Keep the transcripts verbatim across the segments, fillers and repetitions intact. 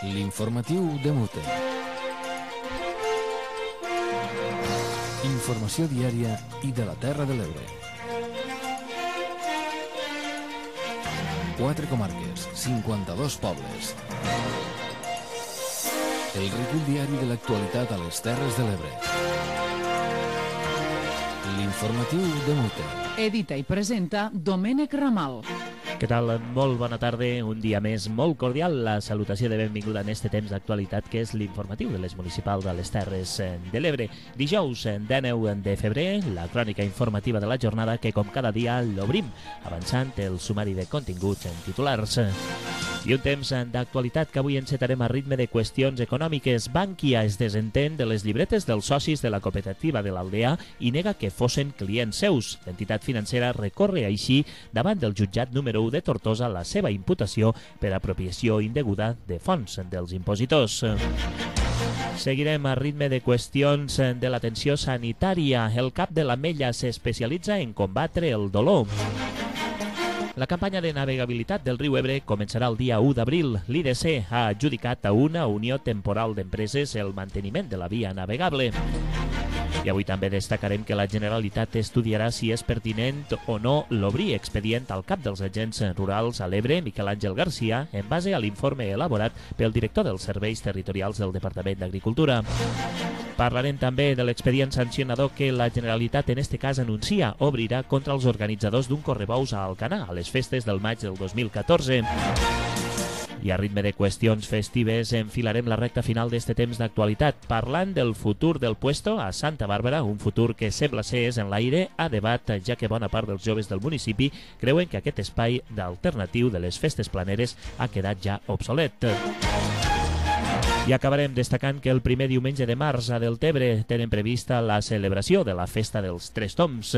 L'informatiu de Mute. Informació diària i de la Terra de l'Ebre. Quatre comarques, cinquanta-dos pobles. El recull diari de l'actualitat a les Terres de l'Ebre. L'informatiu de Mute. Edita i presenta Domènec Ramal. Què tal? Molt bona tarda, un dia més molt cordial. La salutació de benvinguda en este temps d'actualitat que és l'informatiu de les municipals de les Terres de l'Ebre. Dijous, dinou de febrer, la crònica informativa de la jornada que com cada dia l'obrim, avançant el sumari de continguts en titulars. I un temps d'actualitat que avui encetarem a ritme de qüestions econòmiques. Bankia es desentén de les llibretes dels socis de la cooperativa de l'Aldea i nega que fossin clients seus. L'entitat financera recorre així davant del jutjat número u de Tortosa la seva imputació per apropiació indeguda de fons dels impositors. Seguirem a ritme de qüestions de l'atenció sanitària. El cap de l'Ametlla s'especialitza en combatre el dolor. La campanya de navegabilitat del riu Ebre començarà el dia u d'abril. L'I D C ha adjudicat a una unió temporal d'empreses el manteniment de la via navegable. I avui també destacarem que la Generalitat estudiarà si és pertinent o no l'obrir expedient al cap dels agents rurals a l'Ebre, Miquel Àngel Garcia, en base a l'informe elaborat pel director dels serveis territorials del Departament d'Agricultura. Parlarem també de l'expedient sancionador que la Generalitat en este cas anuncia obrirà contra els organitzadors d'un correbous a Alcanar a les festes del maig del dos mil catorze. I a ritme de qüestions festives enfilarem la recta final d'este temps d'actualitat, parlant del futur del puesto a Santa Bàrbara, un futur que sembla ser és en l'aire a debat, ja que bona part dels joves del municipi creuen que aquest espai d'alternatiu de les festes planeres ha quedat ja obsolet. I acabarem destacant que el primer diumenge de març a Deltebre tenen prevista la celebració de la Festa dels Tres Tombs.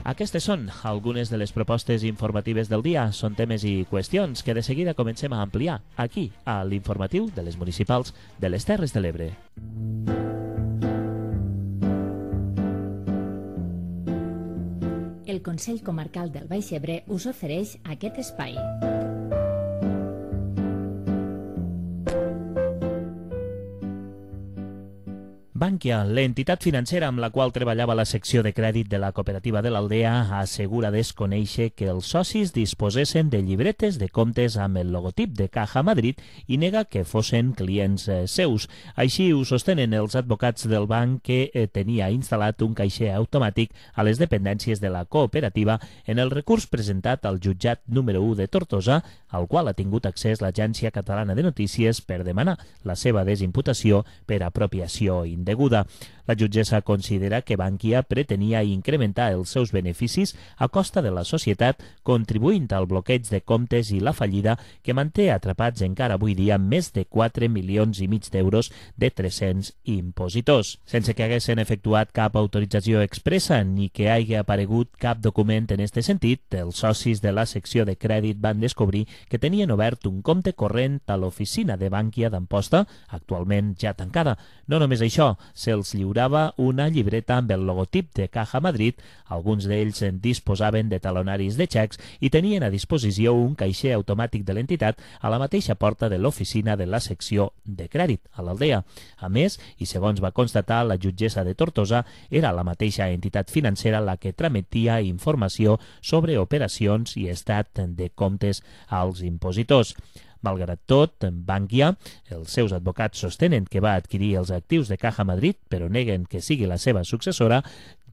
Aquestes són algunes de les propostes informatives del dia. Són temes i qüestions que de seguida comencem a ampliar aquí, a l'informatiu de les municipals de les Terres de l'Ebre. El Consell Comarcal del Baix Ebre us ofereix aquest espai. Bankia, l'entitat financera amb la qual treballava la secció de crèdit de la cooperativa de l'Aldea, assegura desconèixer que els socis disposessin de llibretes de comptes amb el logotip de Caja Madrid i nega que fossin clients seus. Així ho sostenen els advocats del banc que tenia instal·lat un caixer automàtic a les dependències de la cooperativa en el recurs presentat al jutjat número u de Tortosa, al qual ha tingut accés l'Agència Catalana de Notícies per demanar la seva desimputació per apropiació indeguda. La jutgessa considera que Bankia pretenia incrementar els seus beneficis a costa de la societat, contribuint al bloqueig de comptes i la fallida que manté atrapats encara avui dia més de quatre milions i mig d'euros de tres-cents impositors. Sense que haguessin efectuat cap autorització expressa ni que hagi aparegut cap document en este sentit, els socis de la secció de crèdit van descobrir que tenien obert un compte corrent a l'oficina de Bankia d'Amposta, actualment ja tancada. No només això, se'ls lliurava una llibreta amb el logotip de Caja Madrid, alguns d'ells en disposaven de talonaris de xecs i tenien a disposició un caixer automàtic de l'entitat a la mateixa porta de l'oficina de la secció de crèdit a l'Aldea. A més, i segons va constatar la jutgessa de Tortosa, era la mateixa entitat financera la que trametia informació sobre operacions i estat de comptes als impositors. Malgrat tot, Bankia, els seus advocats sostenen que va adquirir els actius de Caja Madrid, però neguen que sigui la seva successora.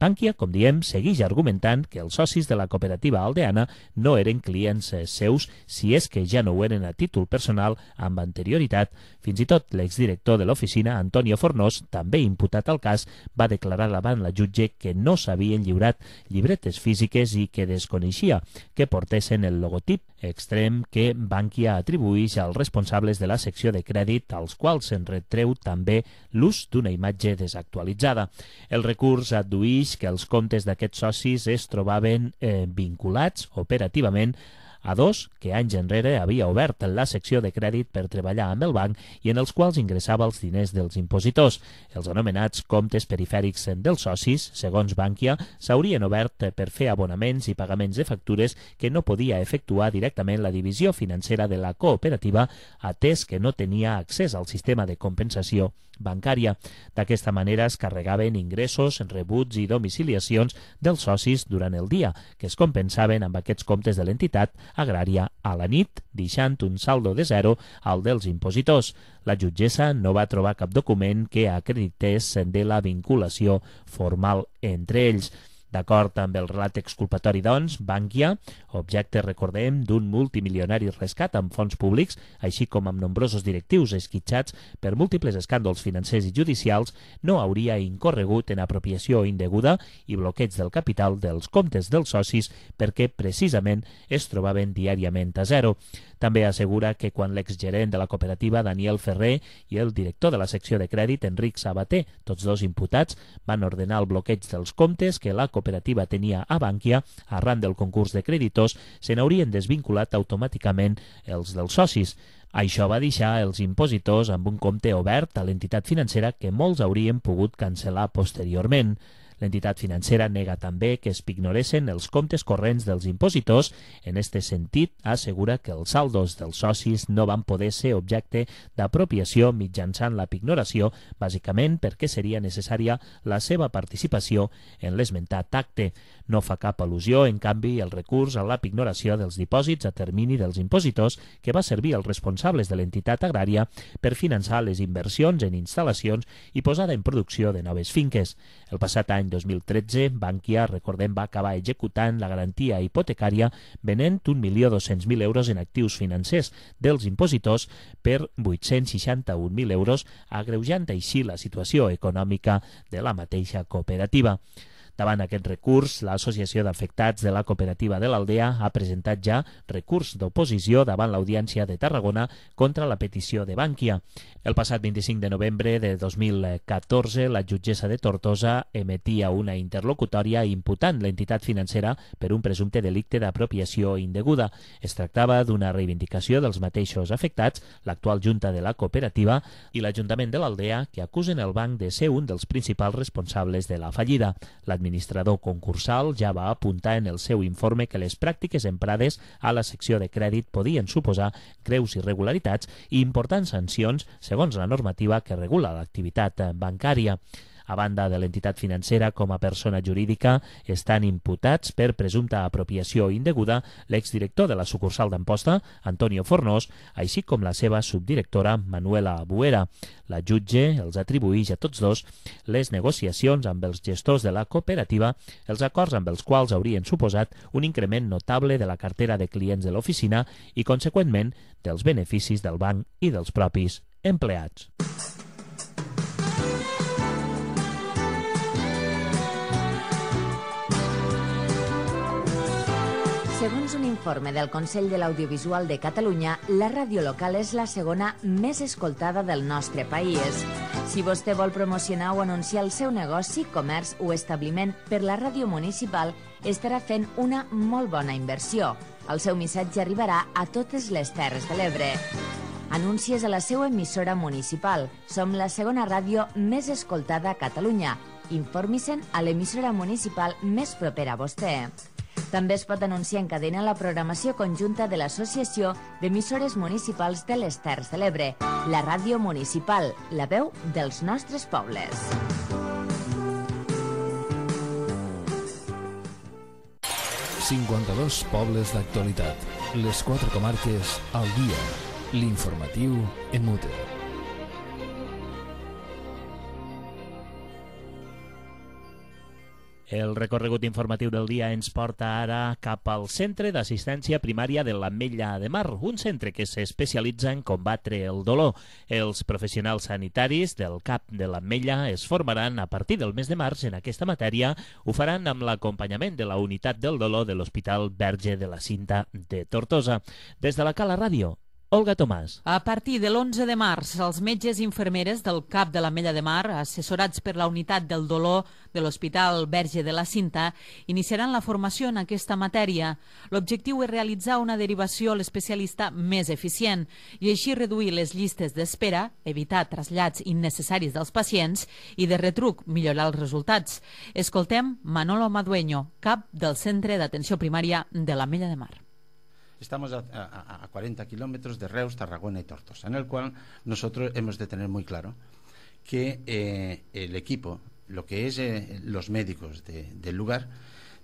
Bankia, com diem, segueix argumentant que els socis de la cooperativa aldeana no eren clients seus, si és que ja no ho eren a títol personal amb anterioritat. Fins i tot l'exdirector de l'oficina, Antonio Fornós, també imputat al cas, va declarar davant la jutge que no s'havien lliurat llibretes físiques i que desconeixia que portessin el logotip extrem que Bankia atribueix als responsables de la secció de crèdit, als quals se'n retreu també l'ús d'una imatge desactualitzada. El recurs addueix que els comptes d'aquests socis es trobaven eh, vinculats operativament a dos que anys enrere havia obert la secció de crèdit per treballar amb el banc i en els quals ingressava els diners dels impositors. Els anomenats comptes perifèrics dels socis, segons Bankia, s'haurien obert per fer abonaments i pagaments de factures que no podia efectuar directament la divisió financera de la cooperativa, atès que no tenia accés al sistema de compensació bancària. D'aquesta manera es carregaven ingressos, rebuts i domiciliacions dels socis durant el dia, que es compensaven amb aquests comptes de l'entitat agrària a la nit, deixant un saldo de zero al dels impositors. La jutgessa no va trobar cap document que acredités de la vinculació formal entre ells. D'acord amb el relat exculpatori, doncs, Bankia, objecte, recordem, d'un multimilionari rescat amb fons públics, així com amb nombrosos directius esquitxats per múltiples escàndols financers i judicials, no hauria incorregut en apropiació indeguda i bloqueig del capital dels comptes dels socis perquè precisament es trobaven diàriament a zero. També assegura que quan l'exgerent de la cooperativa, Daniel Ferrer, i el director de la secció de crèdit, Enric Sabater, tots dos imputats, van ordenar el bloqueig dels comptes que la cooperativa tenia a Bankia, arran del concurs de creditors, se n'haurien desvinculat automàticament els dels socis. Això va deixar els impositors amb un compte obert a l'entitat financera que molts haurien pogut cancel·lar posteriorment. L'entitat financera nega també que es pignoressin els comptes corrents dels impositors. En este sentit, assegura que els saldos dels socis no van poder ser objecte d'apropiació mitjançant la pignoració, bàsicament perquè seria necessària la seva participació en l'esmentat acte. No fa cap al·lusió, en canvi, el recurs a la pignoració dels dipòsits a termini dels impositors que va servir als responsables de l'entitat agrària per finançar les inversions en instal·lacions i posada en producció de noves finques. El passat any dos mil tretze, Bankia, recordem, va acabar executant la garantia hipotecària venent un milió dos-cents mil euros en actius financers dels impositors per vuit-cents seixanta-un mil euros, agreujant així la situació econòmica de la mateixa cooperativa. Davant aquest recurs, l'Associació d'Afectats de la Cooperativa de l'Aldea ha presentat ja recurs d'oposició davant l'Audiència de Tarragona contra la petició de Bankia. El passat vint-i-cinc de novembre de dos mil catorze, la jutgessa de Tortosa emetia una interlocutòria imputant l'entitat financera per un presumpte delicte d'apropiació indeguda. Es tractava d'una reivindicació dels mateixos afectats, l'actual junta de la cooperativa i l'Ajuntament de l'Aldea, que acusen el banc de ser un dels principals responsables de la fallida. L'administrador concursal ja va apuntar en el seu informe que les pràctiques emprades a la secció de crèdit podien suposar greus irregularitats i importants sancions segons la normativa que regula l'activitat bancària. A banda de l'entitat financera, com a persona jurídica, estan imputats per presumpta apropiació indeguda l'exdirector de la sucursal d'Amposta, Antonio Fornós, així com la seva subdirectora, Manuela Buera. La jutge els atribueix a tots dos les negociacions amb els gestors de la cooperativa, els acords amb els quals haurien suposat un increment notable de la cartera de clients de l'oficina i, conseqüentment, dels beneficis del banc i dels propis empleats. Segons un informe del Consell de l'Audiovisual de Catalunya, la ràdio local és la segona més escoltada del nostre país. Si vostè vol promocionar o anunciar el seu negoci, comerç o establiment per la ràdio municipal, estarà fent una molt bona inversió. El seu missatge arribarà a totes les Terres de l'Ebre. Anuncies a la seva emissora municipal. Som la segona ràdio més escoltada a Catalunya. Informi-se'n a l'emissora municipal més propera a vostè. També es pot anunciar en cadena la programació conjunta de l'Associació d'Emissores Municipals de les Terres de l'Ebre, la ràdio municipal, la veu dels nostres pobles. cinquanta-dos pobles d'actualitat. Les quatre comarques al dia. L'informatiu en mute. El recorregut informatiu del dia ens porta ara cap al Centre d'Assistència Primària de l'Ametlla de Mar, un centre que s'especialitza en combatre el dolor. Els professionals sanitaris del C A P de l'Ametlla es formaran a partir del mes de març en aquesta matèria. Ho faran amb l'acompanyament de la unitat del dolor de l'Hospital Verge de la Cinta de Tortosa. Des de la Cala Ràdio, Olga Tomàs. A partir de l'onze de març, els metges i infermeres del CAP de l'Ametlla de Mar, assessorats per la unitat del dolor de l'Hospital Verge de la Cinta, iniciaran la formació en aquesta matèria. L'objectiu és realitzar una derivació a l'especialista més eficient i així reduir les llistes d'espera, evitar trasllats innecessaris dels pacients i, de retruc, millorar els resultats. Escoltem Manolo Madueño, cap del Centre d'Atenció Primària de l'Ametlla de Mar. Estamos a, a, a cuarenta kilómetros de Reus, Tarragona y Tortosa, en el cual nosotros hemos de tener muy claro que eh, el equipo, lo que es eh, los médicos de, del lugar,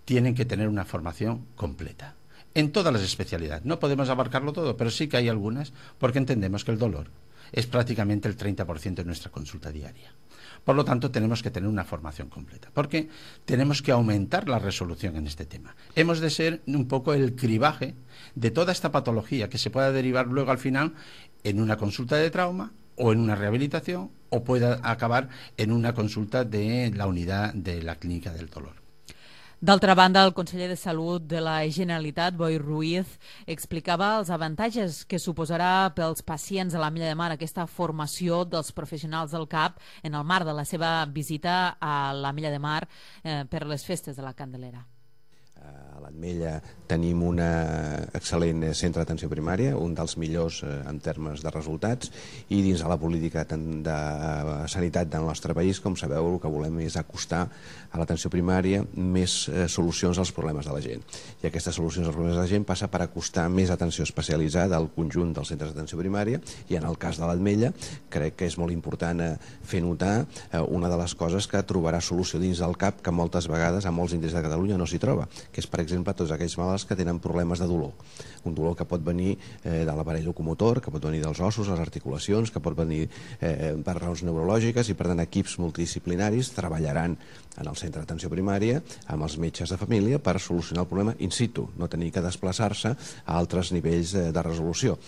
tienen que tener una formación completa en todas las especialidades. No podemos abarcarlo todo, pero sí que hay algunas, porque entendemos que el dolor es prácticamente el treinta por ciento de nuestra consulta diaria. Por lo tanto, tenemos que tener una formación completa, porque tenemos que aumentar la resolución en este tema. Hemos de ser un poco el cribaje de toda esta patología que se pueda derivar luego al final en una consulta de trauma o en una rehabilitación o pueda acabar en una consulta de la unidad de la clínica del dolor. D'altra banda, el conseller de Salut de la Generalitat, Boi Ruiz, explicava els avantatges que suposarà pels pacients a l'Ametlla de Mar aquesta formació dels professionals del CAP en el marc de la seva visita a l'Ametlla de Mar eh, per les festes de la Candelera. A l'Ametlla tenim un excel·lent centre d'atenció primària, un dels millors en termes de resultats, i dins de la política de sanitat del nostre país, com sabeu, el que volem és acostar a l'atenció primària més solucions als problemes de la gent. I aquestes solucions als problemes de la gent passa per acostar més atenció especialitzada al conjunt dels centres d'atenció primària, i en el cas de l'Ametlla crec que és molt important fer notar una de les coses que trobarà solució dins del CAP que moltes vegades a molts indrets de Catalunya no s'hi troba, que és, per exemple, tots aquells malalts que tenen problemes de dolor. Un dolor que pot venir eh, de l'aparell locomotor, que pot venir dels ossos, les articulacions, que pot venir eh, per raons neurològiques, i per tant equips multidisciplinaris treballaran en el centre d'atenció primària amb els metges de família per solucionar el problema in situ, no tenir que desplaçar-se a altres nivells eh, de resolució.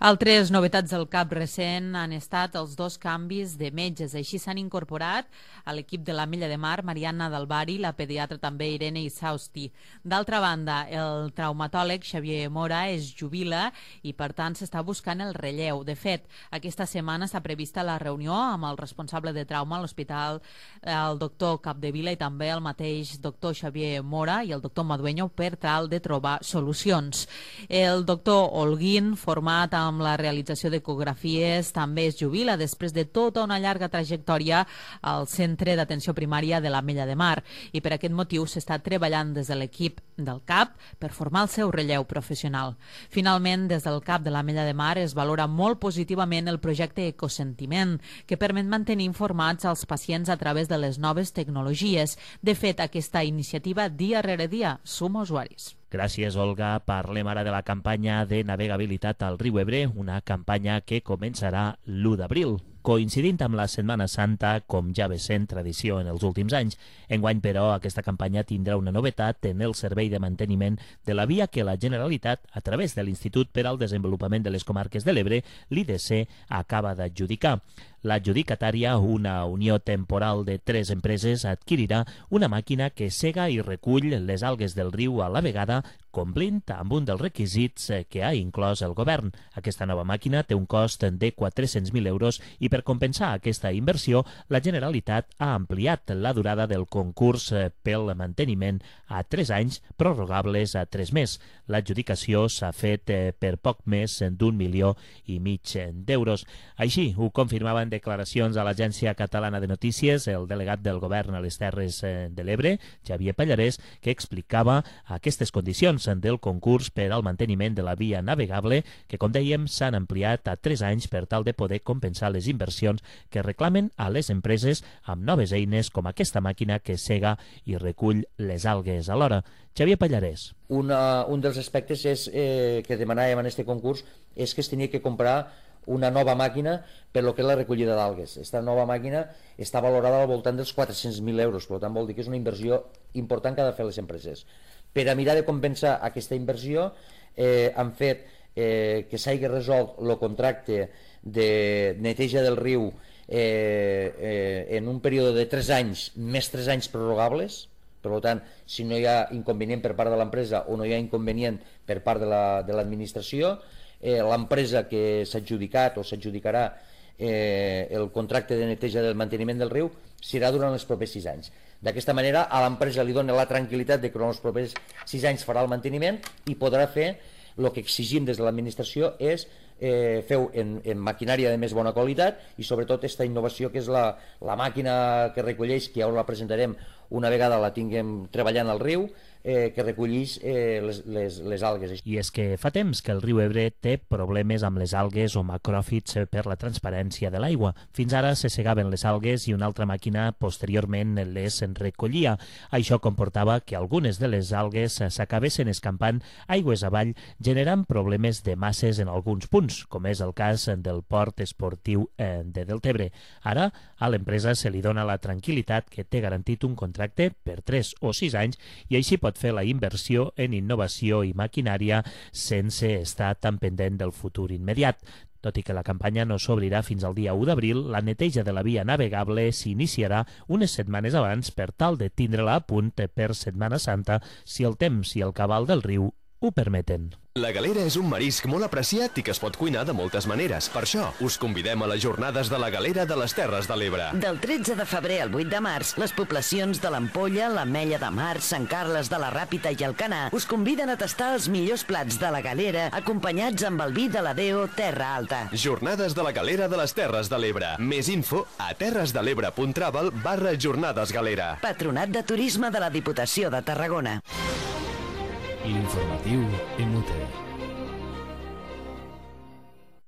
Altres novetats del CAP recent han estat els dos canvis de metges. Així s'han incorporat a l'equip de l'Ametlla de Mar Mariana Dalbari, la pediatra també Irene Isausti. D'altra banda, el traumatòleg Xavier Mora es jubila i, per tant, s'està buscant el relleu. De fet, aquesta setmana està prevista la reunió amb el responsable de trauma a l'hospital, el doctor Capdevila, i també el mateix doctor Xavier Mora i el doctor Madueño per tal de trobar solucions. El doctor Holguín, format amb amb la realització d'ecografies, també es jubila després de tota una llarga trajectòria al Centre d'Atenció Primària de l'Ametlla de Mar, i per aquest motiu s'està treballant des de l'equip del CAP per formar el seu relleu professional. Finalment, des del CAP de l'Ametlla de Mar es valora molt positivament el projecte Ecosentiment, que permet mantenir informats als pacients a través de les noves tecnologies. De fet, aquesta iniciativa dia rere dia suma usuaris. Gràcies, Olga. Parlem ara de la campanya de navegabilitat al riu Ebre, una campanya que començarà l'u d'abril, coincidint amb la Setmana Santa, com ja ve sent tradició en els últims anys. Enguany, però, aquesta campanya tindrà una novetat en el servei de manteniment de la via que la Generalitat, a través de l'Institut per al Desenvolupament de les Comarques de l'Ebre, l'I D C, acaba d'adjudicar. L'adjudicatària, una unió temporal de tres empreses, adquirirà una màquina que sega i recull les algues del riu a la vegada, complint amb un dels requisits que ha inclòs el govern. Aquesta nova màquina té un cost de quatre-cents mil euros i per compensar aquesta inversió, la Generalitat ha ampliat la durada del concurs pel manteniment a tres anys, prorrogables a tres més. L'adjudicació s'ha fet per poc més d'un milió i mig d'euros. Així ho confirmaven declaracions a l'Agència Catalana de Notícies el delegat del govern a les Terres de l'Ebre, Xavier Pallarès, que explicava aquestes condicions del concurs per al manteniment de la via navegable, que, com dèiem, s'han ampliat a tres anys per tal de poder compensar les inversions que reclamen a les empreses amb noves eines com aquesta màquina que sega i recull les algues alhora. Xavier Pallarès. Una, un dels aspectes és, eh, que demanàvem en aquest concurs és que es tenia que comprar una nova màquina per lo que és la recollida d'algues. Aquesta nova màquina està valorada al voltant dels quatre-cents mil euros, per tant vol dir que és una inversió important que ha de fer les empreses. Per a mirar de compensar aquesta inversió, eh, han fet eh, que s'hagi resolt el contracte de neteja del riu eh, eh, en un període de tres anys, més tres anys prorrogables. Per tant, si no hi ha inconvenient per part de l'empresa o no hi ha inconvenient per part de l'administració, eh, l'empresa que s'ha adjudicat o s'adjudicarà eh, el contracte de neteja del manteniment del riu serà durant els propers sis anys. D'aquesta manera a l'empresa li dona la tranquil·litat de que en els propers sis anys farà el manteniment i podrà fer el que exigim des de l'administració és eh, fer en, en maquinària de més bona qualitat i sobretot aquesta innovació que és la, la màquina que recolleix, que ara la presentarem una vegada la tinguem treballant al riu, eh, que recollís eh, les, les, les algues. I és que fa temps que el riu Ebre té problemes amb les algues o macròfits per la transparència de l'aigua. Fins ara se segaven les algues i una altra màquina posteriorment les recollia. Això comportava que algunes de les algues s'acabessin escampant aigües avall, generant problemes de masses en alguns punts, com és el cas del port esportiu de Deltebre. Ara, a l'empresa se li dona la tranquil·litat que té garantit un contracte per tres o sis anys i així pot fer la inversió en innovació i maquinària sense estar tan pendent del futur immediat. Tot i que la campanya no s'obrirà fins al dia u d'abril, la neteja de la via navegable s'iniciarà unes setmanes abans per tal de tindre-la a punt per Setmana Santa si el temps i el cabal del riu ho permeten. La galera és un marisc molt apreciat i que es pot cuinar de moltes maneres. Per això, us convidem a les jornades de la galera de les Terres de l'Ebre. Del tretze de febrer al vuit de març, les poblacions de l'Ampolla, l'Ametlla de Mar, Sant Carles de la Ràpita i Alcanar us conviden a tastar els millors plats de la galera acompanyats amb el vi de la Deo Terra Alta. Jornades de la galera de les Terres de l'Ebre. Més info a terresdelebre punt travel barra jornades galera. Patronat de Turisme de la Diputació de Tarragona. L'informatiu Emute.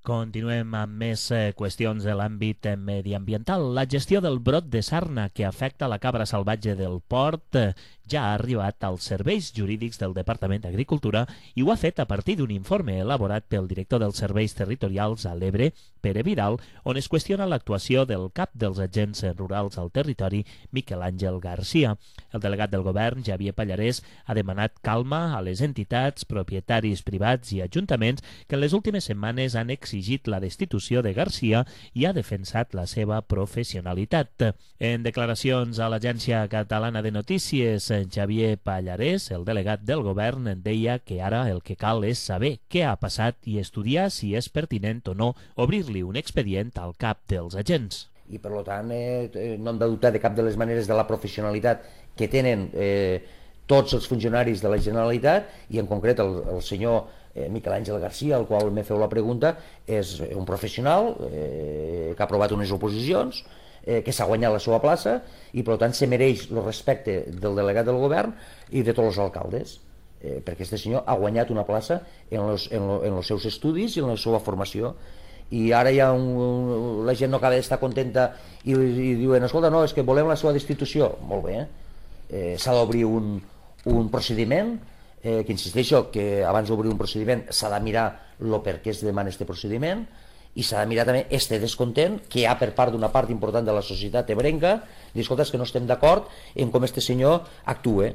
Continuem amb més eh, qüestions de l'àmbit eh, mediambiental. La gestió del brot de sarna que afecta la cabra salvatge del port eh, ja ha arribat als serveis jurídics del Departament d'Agricultura i ho ha fet a partir d'un informe elaborat pel director dels serveis territorials a l'Ebre, Pere Vidal, on es qüestiona l'actuació del cap dels agents rurals al territori, Miquel Àngel Garcia. El delegat del govern, Xavier Pallarès, ha demanat calma a les entitats, propietaris privats i ajuntaments que en les últimes setmanes han exigit la destitució de Garcia i ha defensat la seva professionalitat. En declaracions a l'Agència Catalana de Notícies, Xavier Pallarès, el delegat del govern, deia que ara el que cal és saber què ha passat i estudiar si és pertinent o no obrir-li un expedient al cap dels agents. I per tant eh, no hem de dubtar de cap de les maneres de la professionalitat que tenen eh, tots els funcionaris de la Generalitat i en concret el, el senyor eh, Miquel Àngel Garcia, al qual me feu la pregunta, és un professional eh, que ha aprovat unes oposicions, eh, que s'ha guanyat la seva plaça i per tant se mereix el respecte del delegat del govern i de tots els alcaldes, eh, perquè aquest senyor ha guanyat una plaça en els en lo, en los seus estudis i en la seva formació. I ara ja un, un, la gent no acaba d'estar contenta i, i diuen, escolta, no, és que volem la seva destitució. Molt bé, eh, s'ha d'obrir un, un procediment, eh, que insisteixo que abans d'obrir un procediment s'ha de mirar el per què es demana aquest procediment i s'ha de mirar també este descontent que hi ha per part d'una part important de la societat ebrenca, dir, escolta, és que no estem d'acord en com este senyor actue.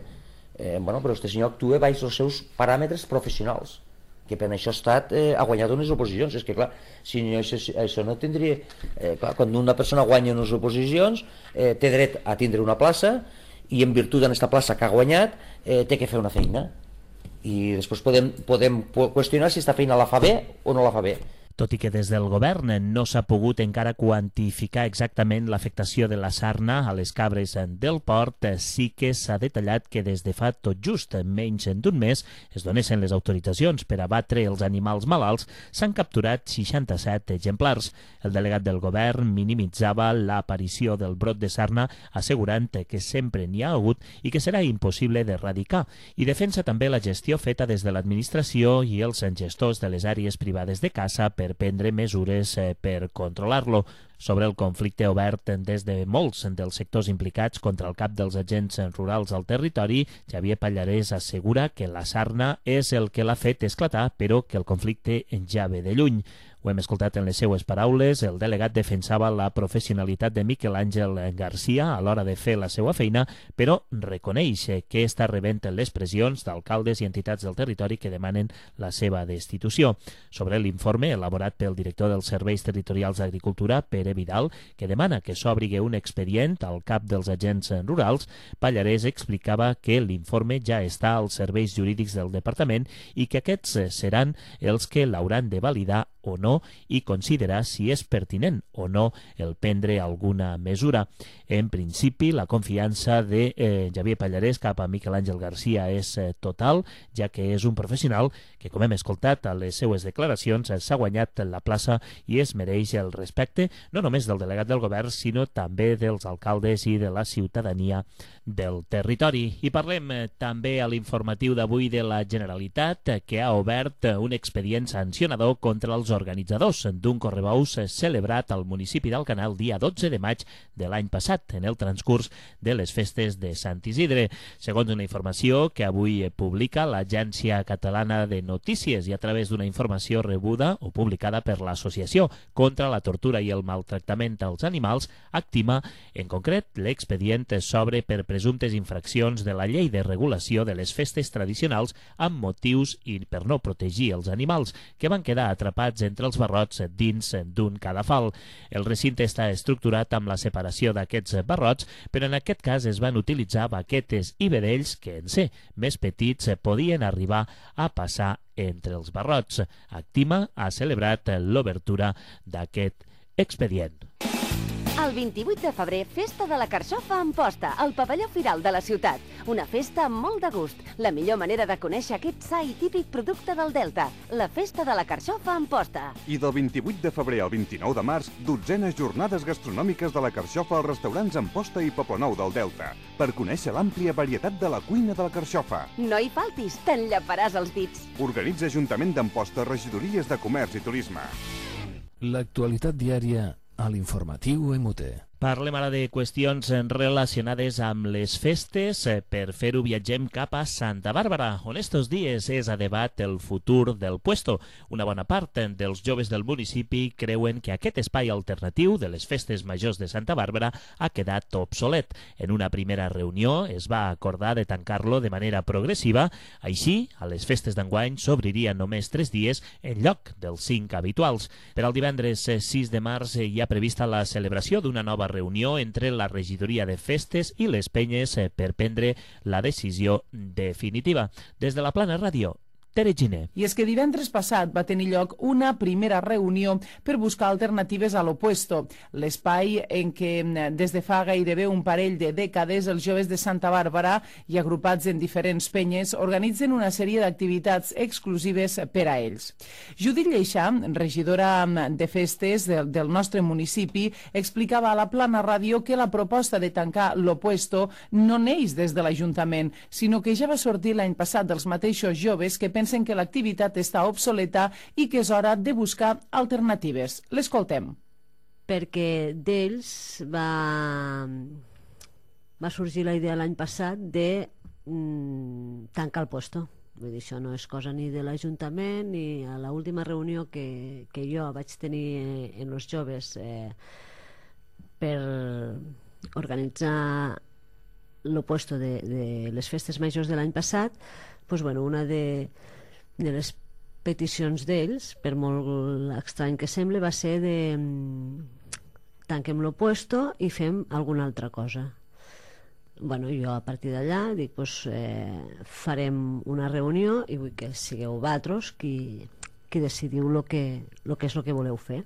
Eh, bueno, però este senyor actue baix els seus paràmetres professionals, que per això ha estat, eh, ha guanyat unes oposicions. És que clar, si no, això, això no tindria... Eh, clar, quan una persona guanya unes oposicions, eh, té dret a tindre una plaça i en virtut d'aquesta plaça que ha guanyat, eh, té que fer una feina. I després podem, podem qüestionar si aquesta feina la fa bé o no la fa bé. Tot i que des del govern no s'ha pogut encara quantificar exactament l'afectació de la sarna a les cabres del port, sí que s'ha detallat que des de fa tot just menys d'un mes es donessin les autoritzacions per abatre els animals malalts, s'han capturat seixanta-set exemplars. El delegat del govern minimitzava l'aparició del brot de sarna, assegurant que sempre n'hi ha hagut i que serà impossible d'erradicar, i defensa també la gestió feta des de l'administració i els gestors de les àrees privades de caça per prendre mesures per controlar-lo. Sobre el conflicte obert des de molts dels sectors implicats contra el cap dels agents rurals al territori, Xavier Pallarès assegura que la sarna és el que l'ha fet esclatar, però que el conflicte ja ve de lluny. Ho hem escoltat en les seues paraules, el delegat defensava la professionalitat de Miquel Àngel Garcia a l'hora de fer la seva feina, però reconeix que està rebent les pressions d'alcaldes i entitats del territori que demanen la seva destitució. Sobre l'informe elaborat pel director dels Serveis Territorials d'Agricultura, Pere Pere Vidal, que demana que s'obri un expedient al cap dels agents rurals. Pallarès explicava que l'informe ja està als serveis jurídics del departament i que aquests seran els que l'hauran de validar o no i considerar si és pertinent o no el prendre alguna mesura. En principi, la confiança de eh, Javier Pallarès cap a Miquel Àngel Garcia és eh, total, ja que és un professional que, com hem escoltat a les seues declaracions, s'ha guanyat la plaça i es mereix el respecte, no només del delegat del govern, sinó també dels alcaldes i de la ciutadania del territori. I parlem eh, també a l'informatiu d'avui de la Generalitat, eh, que ha obert eh, un expedient sancionador contra els organitzadors d'un correbous celebrat al municipi d'Alcanar el dia dotze de maig de l'any passat, en el transcurs de les festes de Sant Isidre. Segons una informació que avui publica l'Agència Catalana de Notícies i a través d'una informació rebuda o publicada per l'Associació contra la Tortura i el Maltractament als Animals, Actima, en concret, l'expedient s'obre per presumptes infraccions de la Llei de Regulació de les Festes Tradicionals amb motius i per no protegir els animals, que van quedar atrapats entre els barrots dins d'un cadafal. El recinte està estructurat amb la separació d'aquests barrots, però en aquest cas es van utilitzar baquetes i vedells que, en ser més petits, podien arribar a passar entre els barrots. Actima ha celebrat l'obertura d'aquest expedient. El vint-i-vuit de febrer, Festa de la Carxofa a Amposta, al pavelló Firal de la ciutat. Una festa amb molt de gust. La millor manera de conèixer aquest sa i típic producte del Delta. La Festa de la Carxofa a Amposta. I del vint-i-vuit de febrer al vint-i-nou de març, dotzenes jornades gastronòmiques de la Carxofa als restaurants Amposta i Poblenou del Delta, per conèixer l'àmplia varietat de la cuina de la Carxofa. No hi faltis, t'enllaparàs els dits. Organitza Ajuntament d'Amposta, regidories de Comerç i Turisme. L'actualitat diària a l'informatiu M U T. Parlem ara de qüestions relacionades amb les festes. Per fer-ho viatgem cap a Santa Bàrbara, on estos dies és a debat el futur del puesto. Una bona part dels joves del municipi creuen que aquest espai alternatiu de les festes majors de Santa Bàrbara ha quedat obsolet. En una primera reunió es va acordar de tancar-lo de manera progressiva. Així, a les festes d'enguany s'obririen només tres dies en lloc dels cinc habituals. Per al divendres sis de març hi ha prevista la celebració d'una nova reunió entre la regidoria de festes i les penyes per prendre la decisió definitiva. Des de la Plana Ràdio, Tere Giner. I és que divendres passat va tenir lloc una primera reunió per buscar alternatives a l'Opuesto, l'espai en què des de fa gairebé un parell de dècades els joves de Santa Bàrbara i agrupats en diferents penyes organitzen una sèrie d'activitats exclusives per a ells. Judit Lleixà, regidora de festes del, del nostre municipi, explicava a la Plana Ràdio que la proposta de tancar l'Opuesto no neix des de l'Ajuntament, sinó que ja va sortir l'any passat dels mateixos joves que pensen que l'activitat està obsoleta i que és hora de buscar alternatives. L'escoltem. Perquè d'ells va, va sorgir la idea l'any passat de mm, tancar el puesto. Vull dir, això no és cosa ni de l'Ajuntament ni a l'última reunió que, que jo vaig tenir en els joves eh, per organitzar l'opuesto de, de les festes majors de l'any passat. Pues bueno, una de, de les peticions d'ells, per molt estrany que sembli, va ser de tanquem l'opuesto i fem alguna altra cosa. Bueno, jo a partir d'allà dic, pues, eh, farem una reunió i vull que sigueu vosaltres qui, qui decidiu el que, lo que és el que voleu fer.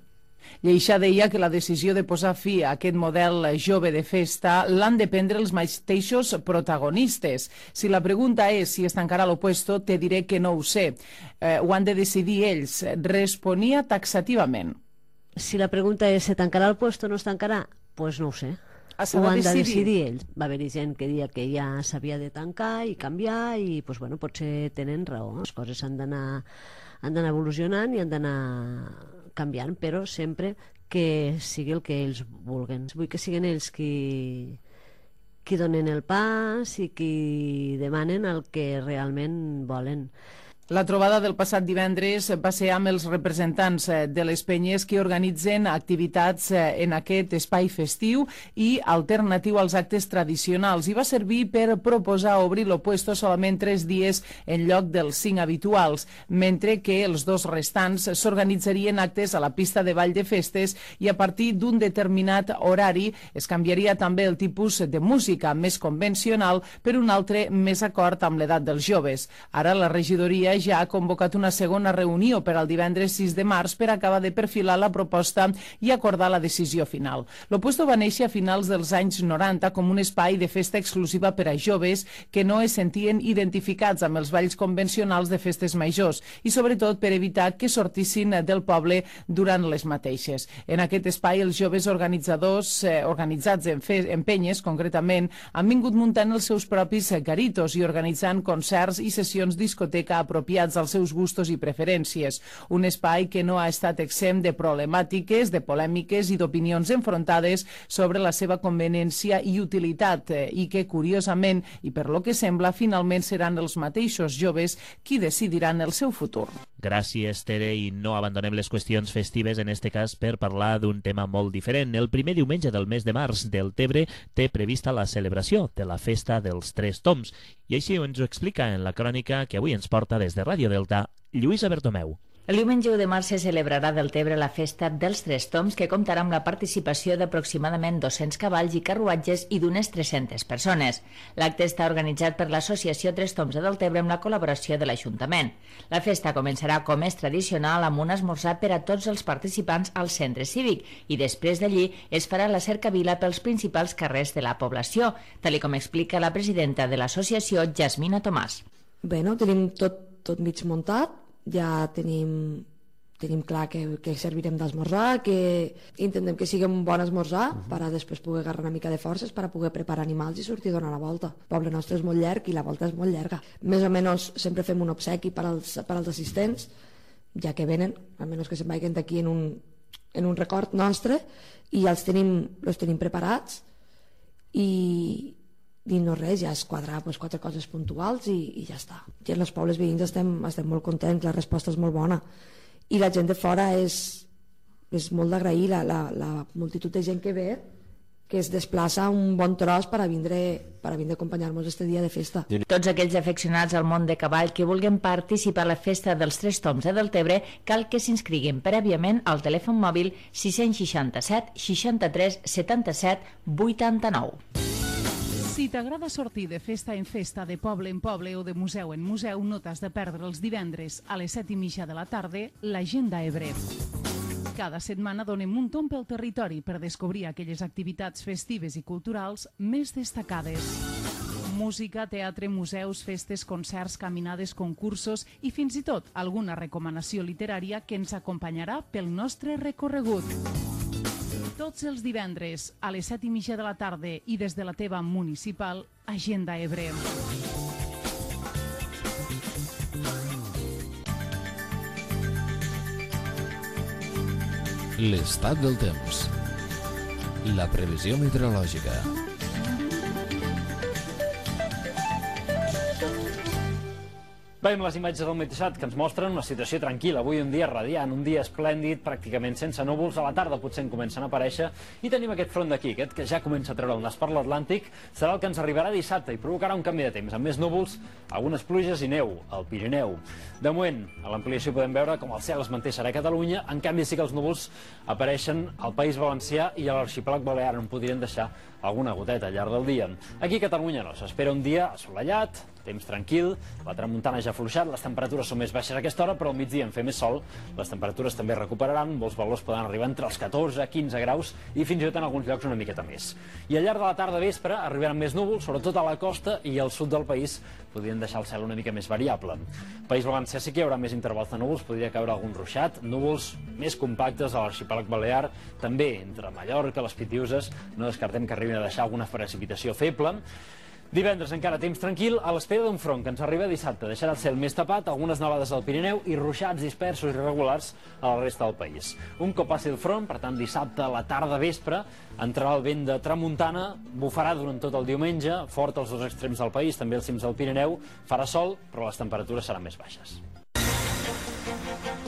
Lleixà deia que la decisió de posar fi a aquest model jove de festa l'han de prendre els mateixos protagonistes. Si la pregunta és si es tancarà l'opuesto, te diré que no ho sé. Eh, ho han de decidir ells. Responia taxativament. Si la pregunta és si tancarà el puesto o no es tancarà, doncs no ho sé. Ho han de decidir ells. Va haver-hi gent que deia que ja s'havia de tancar i canviar i doncs, bueno, potser tenen raó. Les coses han d'anar han d'anar evolucionant i han d'anar canviant, però sempre que sigui el que ells vulguen. Vull que siguin ells qui, qui donen el pas i qui demanen el que realment volen. La trobada del passat divendres va ser amb els representants de les penyes que organitzen activitats en aquest espai festiu i alternatiu als actes tradicionals i va servir per proposar obrir l'opuesto solament tres dies en lloc dels cinc habituals, mentre que els dos restants s'organitzarien actes a la pista de ball de festes i a partir d'un determinat horari es canviaria també el tipus de música més convencional per un altre més acord amb l'edat dels joves. Ara la regidoria ja ha convocat una segona reunió per al divendres sis de març per acabar de perfilar la proposta i acordar la decisió final. L'Opuesto va néixer a finals dels anys noranta com un espai de festa exclusiva per a joves que no es sentien identificats amb els balls convencionals de festes majors i sobretot per evitar que sortissin del poble durant les mateixes. En aquest espai els joves organitzadors, eh, organitzats en, fe, en penyes concretament, han vingut muntant els seus propis garitos i organitzant concerts i sessions discoteca apropiats als seus gustos i preferències. Un espai que no ha estat exempt de problemàtiques, de polèmiques i d'opinions enfrontades sobre la seva conveniència i utilitat i que, curiosament, i per lo que sembla, finalment seran els mateixos joves qui decidiran el seu futur. Gràcies, Tere, i no abandonem les qüestions festives, en este cas per parlar d'un tema molt diferent. El primer diumenge del mes de març del Tebre té prevista la celebració de la Festa dels Tres Toms, i així ens ho explica en la crònica que avui ens porta des de Ràdio Delta, Lluïsa Bertomeu. El diumenge u de març se celebrarà del Tebre la Festa dels Tres Toms, que comptarà amb la participació d'aproximadament dos-cents cavalls i carruatges i d'unes tres-centes persones. L'acte està organitzat per l'Associació Tres Toms de Deltebre amb la col·laboració de l'Ajuntament. La festa començarà, com és tradicional, amb un esmorzar per a tots els participants al centre cívic i després d'allí es farà la cercavila pels principals carrers de la població, tal com explica la presidenta de l'associació, Jasmina Tomàs. Bé, no, tenim tot, tot mig muntat. Ja tenim, tenim clar que, que servirem d'esmorzar, que intentem que sigui un bon esmorzar uh -huh. per a després poder agarrar una mica de forces per a poder preparar animals i sortir a donar la volta. El poble nostre és molt llarg i la volta és molt llarga. Més o menys sempre fem un obsequi per als, per als assistents, ja que venen, almenys que se'n vagin d'aquí en, un, en un record nostre, i els tenim, els tenim preparats i... i no res, ja es quadrar pues, quatre coses puntuals i, i ja està. I en els pobles veïns estem, estem molt contents, la resposta és molt bona i la gent de fora és, és molt d'agrair, la, la, la multitud de gent que ve, que es desplaça un bon tros per a vindre, per a vindre a acompanyar-nos este dia de festa. Tots aquells afeccionats al món de cavall que vulguin participar a la Festa dels Tres Toms de Deltebre cal que s'inscriguin prèviament al telèfon mòbil sis seixanta-set seixanta-tres setanta-set vuitanta-nou. Si t'agrada sortir de festa en festa, de poble en poble o de museu en museu, no t'has de perdre els divendres a les set i mitja de la tarda l'Agenda Ebre. Cada setmana donem un tomb pel territori per descobrir aquelles activitats festives i culturals més destacades. Música, teatre, museus, festes, concerts, caminades, concursos i fins i tot alguna recomanació literària que ens acompanyarà pel nostre recorregut. Tots els divendres a les set i mitja de la tarda i des de la teva municipal, Agenda Ebre. L'estat del temps. La previsió meteorològica. Veiem les imatges del Meteosat que ens mostren una situació tranquil·la. Avui un dia radiant, un dia esplèndid, pràcticament sense núvols. A la tarda potser en comencen a aparèixer. I tenim aquest front d'aquí, aquest que ja comença a treure el nas per l'Atlàntic. Serà el que ens arribarà dissabte i provocarà un canvi de temps, amb més núvols, algunes pluges i neu al Pirineu. De moment, a l'ampliació podem veure com el cel es manté serè a Catalunya. En canvi, sí que els núvols apareixen al País Valencià i a l'Arxipèlag Balear, on podrien deixar alguna goteta al llarg del dia. Aquí a Catalunya no, s'espera un dia assolellat, temps tranquil, la tramuntana ja ha afluixat, les temperatures són més baixes a aquesta hora, però al migdia en fer més sol, les temperatures també recuperaran, molts valors poden arribar entre els catorze, quinze graus i fins i tot en alguns llocs una miqueta més. I al llarg de la tarda vespre arribaran més núvols, sobretot a la costa i al sud del país podrien deixar el cel una mica més variable. País Valencià sí que hi haurà més intervals de núvols, podria caure algun ruixat, núvols més compactes a l'Arxipèlag Balear, també entre Mallorca, les Pitiuses, no descartem que arribin a deixar alguna precipitació feble. Divendres encara temps tranquil, a l'espera d'un front que ens arriba dissabte. Deixarà el cel més tapat, algunes nevades al Pirineu i ruixats dispersos i irregulars a la resta del país. Un cop passi el front, per tant dissabte a la tarda vespre, entrarà el vent de tramuntana, bufarà durant tot el diumenge, fort als dos extrems del país, també als cims del Pirineu, farà sol, però les temperatures seran més baixes.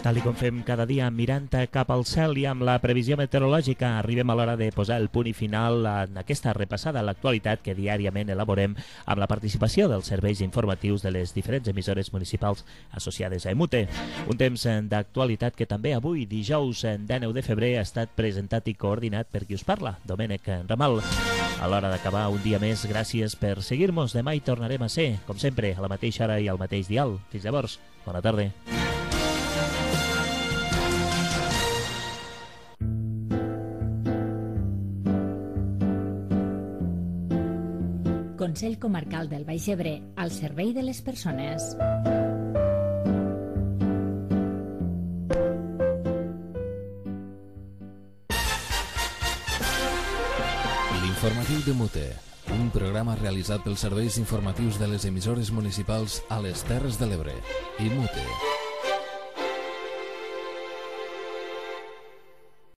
Tal com fem cada dia, mirant cap al cel i amb la previsió meteorològica, arribem a l'hora de posar el punt i final en aquesta repassada a l'actualitat que diàriament elaborem amb la participació dels serveis informatius de les diferents emissores municipals associades a EMUTE. Un temps d'actualitat que també avui, dijous dinou de febrer, ha estat presentat i coordinat per qui us parla, Domènec Ramal. A l'hora d'acabar un dia més, gràcies per seguir-nos. Demà hi tornarem a ser, com sempre, a la mateixa hora i al mateix dial. Fins llavors, bona tarda. Consell Comarcal del Baix Ebre, al servei de les persones. L'informatiu de Mute, un programa realitzat pels serveis informatius de les emissores municipals a les Terres de l'Ebre i Mute.